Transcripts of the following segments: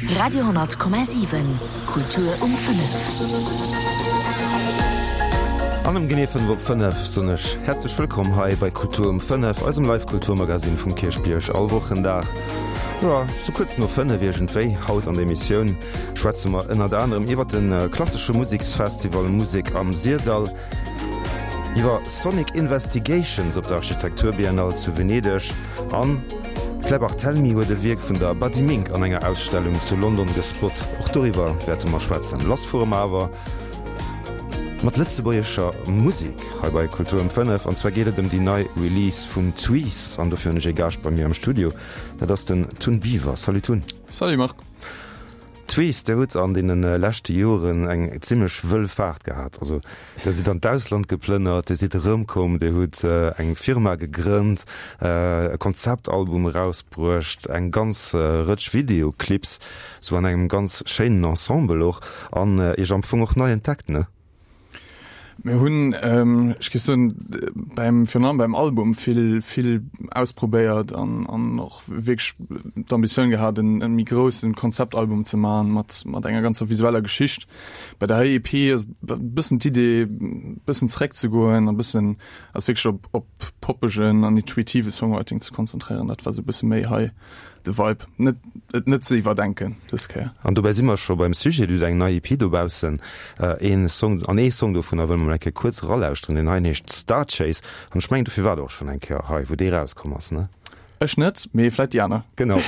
Radio,7 Kultur um 5. An ëm genee 5 op 5 soen ech häerzlech wëllkomm hei bei Kultur um 5, eisem Live-Kulturmagazin vum Kierchbierg all Wochendag, jo, sou kuerz no 5 iergendwéi. Haut an der Emissioun schwätze mer ënnert anerem iwwer de klassesche Museksfestival Musek am Syrdall, Iwwer Sonic Investigations op der Architekturbiennale zu Venedeg an d'Claire Barthelmy huet e Wierk vun der Buddy Mink an enger Ausstellung zu London gespot. Och doriwwer wäerte mer schwätzen. Lass fuere mer awer mat lëtzebuergescher Musek hei bei Kultur um 5 an zwar geet et ëm déi nei Release vun Tweez an dofir hunn ech ee Gaascht bei mir am Studio, dat ass den Tun Biver. Salut Tun. Salut Marc. Tweez, der hutt an deene leschte Joren eng zimmlech wëll Faart gehat. Also der sidd an d'Ausland geplënnert, dir sidd erëmkomm, dir hutt eng Firma gegrënnt, e Konzeptalbum erausbruecht, eng ganz Rëtsch Videoclips, sou an engem ganz schéinen Ensemble och, an iech am Fong och nei entdeckt, ne? Mir hunn, ech géif soen, beim, virun allem beim Album vill, vill ausprobéiert an, an och wierklech d'Ambitioun gehat, en, e méi groussen Konzeptalbum ze maachen, mat, mat enger ganzer visueller Geschicht. Bei der hei EP ass e bëssen d'Idee, e bëssen zeréckzegoen a bëssen eis wierklech op, op poppegen an intuitive Songwriting ze konzentréieren. Dat war sou e bësse méi hei de Vibe, net, et net ze iwwerdenken dës Kéier. An dobäi si mer scho beim Sujet, Dir hutt eng nei EP dobaussen, een Song, an ee Song dovunner wëlle mer mol eng Kéier kuerz eralauschteren, deen heien heescht Star Chase an ech mengen dofir waart Der och schonn eng Kéier hei, wou dee erauskomm ass, ne? Ech net, mee vläit déi aner. Genau.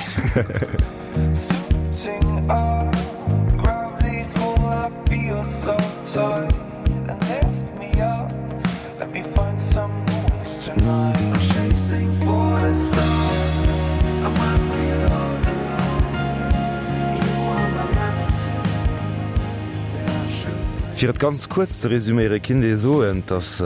Fir et ganz kuerz ze resüméiere kinnt ee soen, dass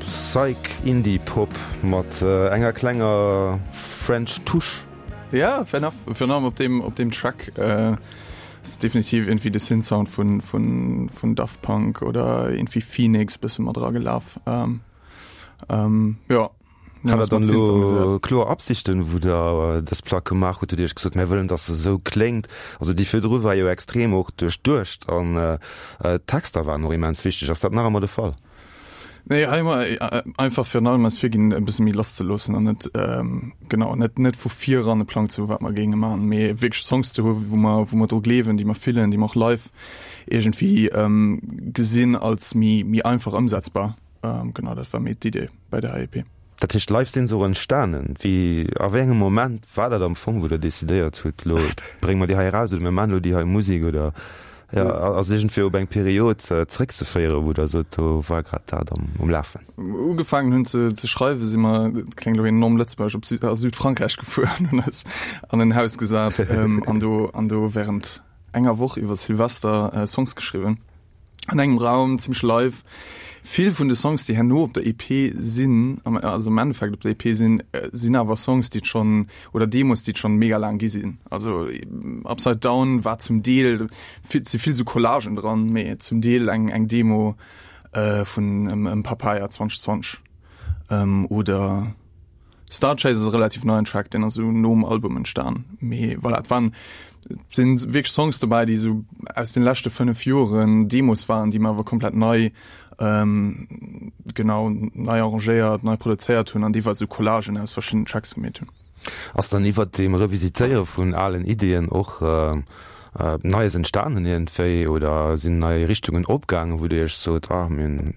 Psych Indie Pop mat enger klenger French Touche. Ja, fair enough. Virun allem op deem, op deem Track ass definitiv irgendwie de Synth-Sound vun, vun, vun Daft Punk oder irgendwie Phoenix bësse mat eragelaf. Jo. Hat der dann elo kloer Absichten, wou der dës Plack gemaach hutt? Hutt Dir Iech gesot, mir wëllen, dass se esou kléngt? Also déi virdru war jo extrem och duerchduecht an d'Texter waren och immens wichteg. Ass dat nach ëmmer de Fall? Nee, hei hu mer einfach virun allem eis virginn, e bësse méi lass ze loossen an net, genau, net, net vu vir eran e Plang ze hu wat mer géinge maachen, mee wierklech Songs ze hu wou mer, wou mer dru gleewen, déi mer fillen, déi mer och live iergendwéi gesinn als méi, méi einfach ëmsetzbar. Genau, dat war méi d'Idee bei der EP. Dat heescht, live sinn se och entstanen. Wéi, a wéi engem Moment war dat am Fong, wou Der decidéiert hutt, elo brénge mer déi hei eraus oder mir maachen elo déi hei Musek oder, jo, ass iergendwéi op eng Period zréckzeféieren, wou Der sot, do war grad dat am um Lafen? Ugefaangen hunn ze ze schreiwen, si mer, dat kléngt elo enorm lëtzebuergesch, op Süd, a Südfrankräich gefuer an hunn eis an en Haus gesat an do, an do wärend enger Woch iwwer Silvester Songs geschriwwen. An engem Raum, zimmlech live. Vill vun de Songs, déi herno op der EP sinn, also am Endeffekt op der EP sinn, sinn awer Songs, déi et schonn, oder Demos, déi et schonn mega laang gi sinn. Also Upside Down war zum Deel, et si vill sou Collagen dran, mee zum Deel eng eng Demo vun Papaya 2020 oder. Star Chase ass e relativ neien Track, deen ass esou nom Album entstan. Mee voilà, et waren, et sinn wierklech Songs dobäi, déi esou aus den leschte 5 Joren Demos waren, déi mer awer komplett nei, genau, nei arrangéiert, nei produzéiert hunn an deelweis esou Collagen aus verschiddenen Tracks gemeet hunn. Ass dann iwwert deem Revisitéiere vun alen Ideeën och Neies entstanen iergendwéi oder sinn nei Richtungen opgaangen, wou Dir Iech sot, ah mir hunn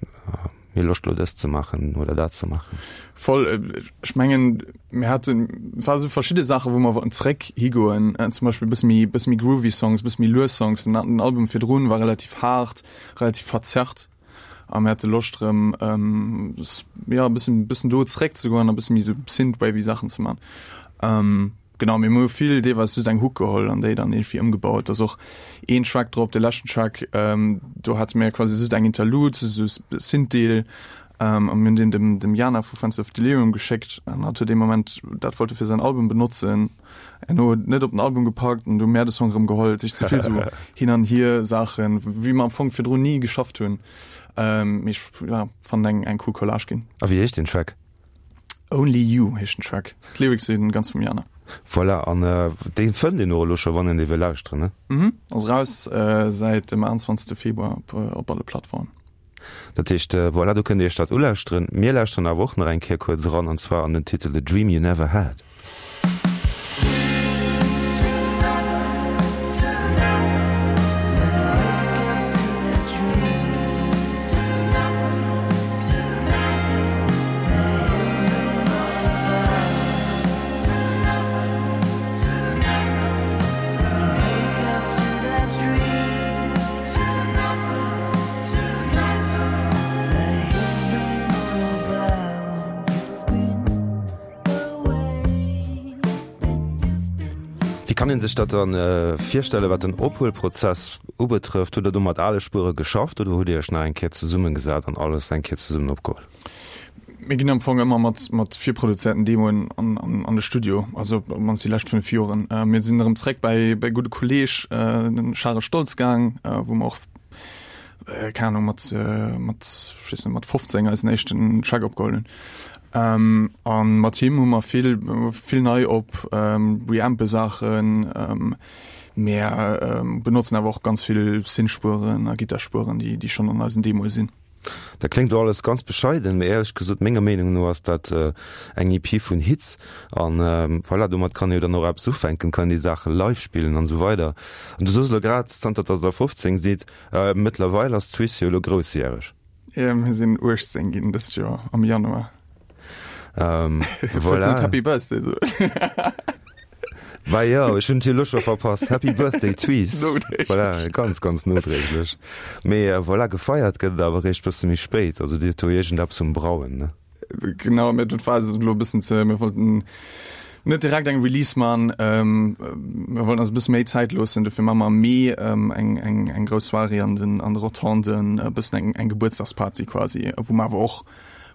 Mir Loscht lo dëst ze maachen oder dat ze maachen. Voll, ech mengen mir haten, et war sou verschidde Saachen, wou mer wollten zréck higoen, zum Beispill e bësse méi, bësse méi groovy Songs, e bësse méi lues Songs. Den den Album virdrun war relativ haart, relativ verzerrt a mir hate Loscht erëm jo e bëssen, bëssen do zréck ze goen a bësse méi sou synthwavy Saachen ze man. Genau, mir hu vill deelweis just eng Hook geholl an déi dann irgendwie ëmgebaut. Da ass och een Track drop, de leschten Track, ähm, do hate mir quasi just eng Interlude, sou e Synth-Deel, ähm, a mir hunn deen dem, dem Jana vu Fenster of Delirium geschéckt an hatt huet dee Moment, dat wollt e fir säin Album benotzen, herno huet net op den Album gepackt an du hu mär de Song erëm geholl. Dat heescht, et si vill sou Hin an Hier-Saachen, wéi mer am Fong virdrun ni geschafft hunn. Ähm, mee ech, ja, fannen eng, eng cool Collage ginn. A wéi heescht deen Track? Only You heescht den Track. D'Lyrics sinn ganz vum Jana. Voilà, an dee fënnt een och elo scho, wann een dee wëll lauschteren, ne? Mhm, ass eraus säit dem 21. Februar op op alle Plattformen. Dat heescht, voilà, do kënnt Dir Iech dat ulauschteren. Mir lauschteren awer och nach eng Kéier kuerz eran, an zwar an den Titel The Dream You Never Had. Wéi kann een sech dat dann virstellen, wat den Ophuelprozess ubetrëfft? Hutt Der do mat ale Spuere geschafft oder hutt Dir Iech nach eng Kéier zesummegesat an alles eng Kéier zesummen opgeholl? Mir ginn am Fong ëmmer mat, mat virproduzéierten Demoen an, an, an de Studio, also op d'mannst déi lescht 5 Joren. Äh, mir sinn erëm zréck bäi, bäi gudde Kolleeg, äh, den Charel Stoltz gaang, äh, wou mer och, äh, keng Ahnung, mat, äh, mat, ech weess net, mat 15 eisen éischten Track opgeholl hunn. Ähm, an mat him hu mer vill, vill nei op, ähm, reampe Saachen, ähm, mer, ähm, benotzen awer och ganz vill Synthspueren a Gitterspueren, déi, déi schonn an eisen Demoe sinn. Dat kléngt elo alles ganz bescheiden, mee éierlech gesot, menger Meenung no ass dat eng EP vun Hits an voilà, domat kann ee jo dann och eppes ufänken, kann een déi Saache live spillen an esou weider. An du soos elo grad, zanter dass der 15 sidd, mëttlerweil ass d'Suisse jo elo groussjäreg. Jo, mir sinn 18 ginn dëst Joer am Januar. Ähm, voilà. Happy Birthday so. Bah jo, ech hunn et jo elo scho verpasst. Happy Birthday Tweez. Voilà, ganz, ganz nodréiglech. Mee äh, voilà, gefeiert gëtt et awer eréischt bësse méi spéit. Also Dir hutt do iergendeppes um Brauen, ne? Genau, mir dat war elo e bëssen ze, mir wollten net direkt eng Release man, ähm, mir wollten eis e bësse méi Zäit loossen, dofir ma mer am Mee ähm, eng, eng, eng grouss Soirée an den, an de Rotonden, e bëssen eng, eng Gebuertsdagsparty quasi, wou mer awer och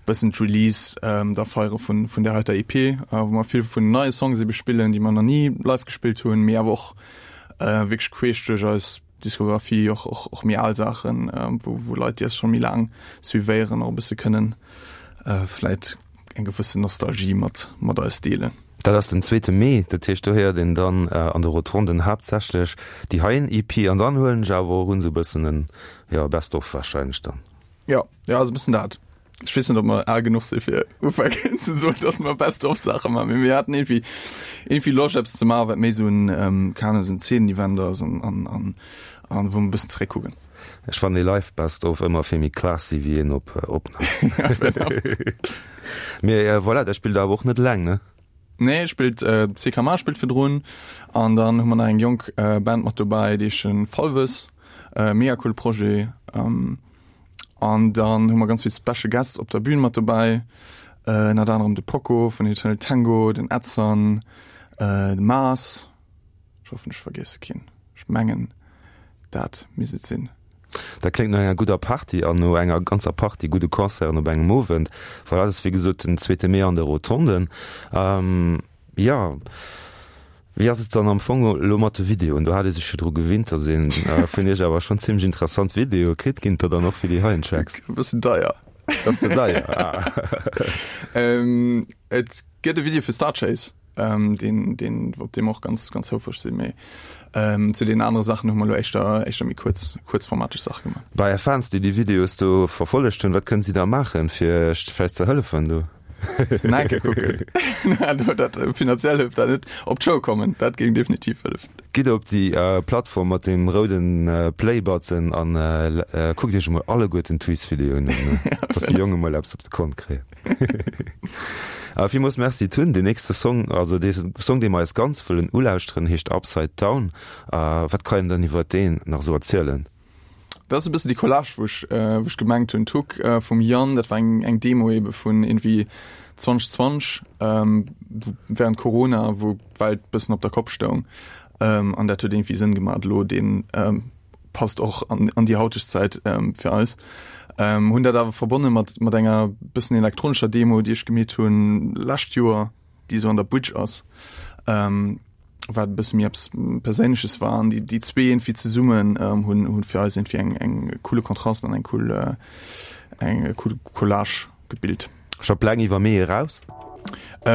bëssen d'Release da feiere vun vun där heiter EP, wou mer vill vun neie Songs ebe spillen, déi mer nach ni live gespillt hunn, mee awer och wierklech queesch duerch eis Diskografie, och och och méi al Saachen, wou wou Leit, déi eis scho méi laang suivéieren, och e bësse kënnen vläit eng gewëssen Nostalgie mat mat eis deelen. Dat ass den zweete Mee, dat heescht do héiert een dann an de Rotonden haaptsächlech déi heien EP an dann huelen ech awer och un esou e bëssen en, jo, Best of warscheinlech dann. Jo, jo, ass e bëssen dat. Ech weess net, ob mer al genuch si fir ufänken ze soen, dass mer Best of Saache maachen, mee mir haten iergendwéi iergendwéi Loscht eppes ze maachen, wat méi esou en, keng Ahnung, esou en Zeenenevent ass an an an an wou mer e bëssen zeréckkucken. Ech fannen ee Live Best of ëmmer vill méi classy wéi een op Opnam. Mee voilà, dat spillt awer och net eleng, ne? Nee, spillt CKMA spillt virdrun an dann hu mer nach eng jonk Band mat dobäi, déi heeschen Falves, mega coole Projet. An dann hu mer ganz vill Special Guests op der Bühn mat dobäi, ënnert anerem de Poco vun Eternal Tango, den Edson, de Mars. Ech hoffen ech vergiesse keen. Ech mengen dat misst et sinn. Dat kléngt no enger gudder Party an no enger ganzer Party gudde Concerten op engem Owend. Voilà, dat ass wéi gesot den zweete Mee an de Rotonden. Jo, wéi ass et dann am Fong elo mat de Videoen? Do hat ee sech jo dru gewinnt, datt ee vun iech awer schonn zimmlech interessant Videoe kritt. Ginn et der dann och fir déi heien Tracks? E bëssen deier. Dat ass ze deier, ah. Et gëtt e Video fir Star Chase. ähm, deen, deen, op deem och ganz, ganz houfreg sinn. Mee ähm, zu den anere Saachen hu mer lo éischter, éischter méi kuerz, kuerzformateg Sache gemaach. Bei Är Fans, déi déi Videos do verfollegt hunn, wat kënnen si da maachen, fir Iech vläicht ze hëllefen do? Nike kucken. Dat, finanziell hëlleft dat net. Op d'Show kommen, dat géing definitiv hëllefen. Gitt op déi Plattform mat deem rouden Play-Button an kuckt Iech emol alleguerten d'Tweets-Videoen un, dass déi Jongen emol eppes op de Kont kréien. Villmools Merci Tun. Deen nächste Song, also dee Song dee mer eis ganz wëllen ulauschteren, heescht Upside Down. Wat kann een dann iwwert deen nach esou erzielen? Dat ass e bëssen déi Collage wou ech wou ech gemengt hunn. D'Hook vum Yann, dat war eng eng Demo ebe vun iergendwéi 2020, während Corona, wou d'Welt bëssen op der Kopp stoung. An dat huet iergendwéi Sënn gemaach elo deen passt och an, an déi hauteg Zäit ähm, fir eis. Ähm, hunn dat awer verbonne mat, mat enger bëssen elektronescher Demo, déi ech gemeet hunn lescht Joer, déi sou an der Bridge ass, ähm, wat e bësse méi eppes Perséinleches war. An déi, déi zwee irgendwie zesummen ähm, hunn, hunn fir eis irgendwie eng, eng coole Kontrast an eng cool, äh, eng cool Collage gebilt. Scho Pläng iwwer Mee eraus? Äh.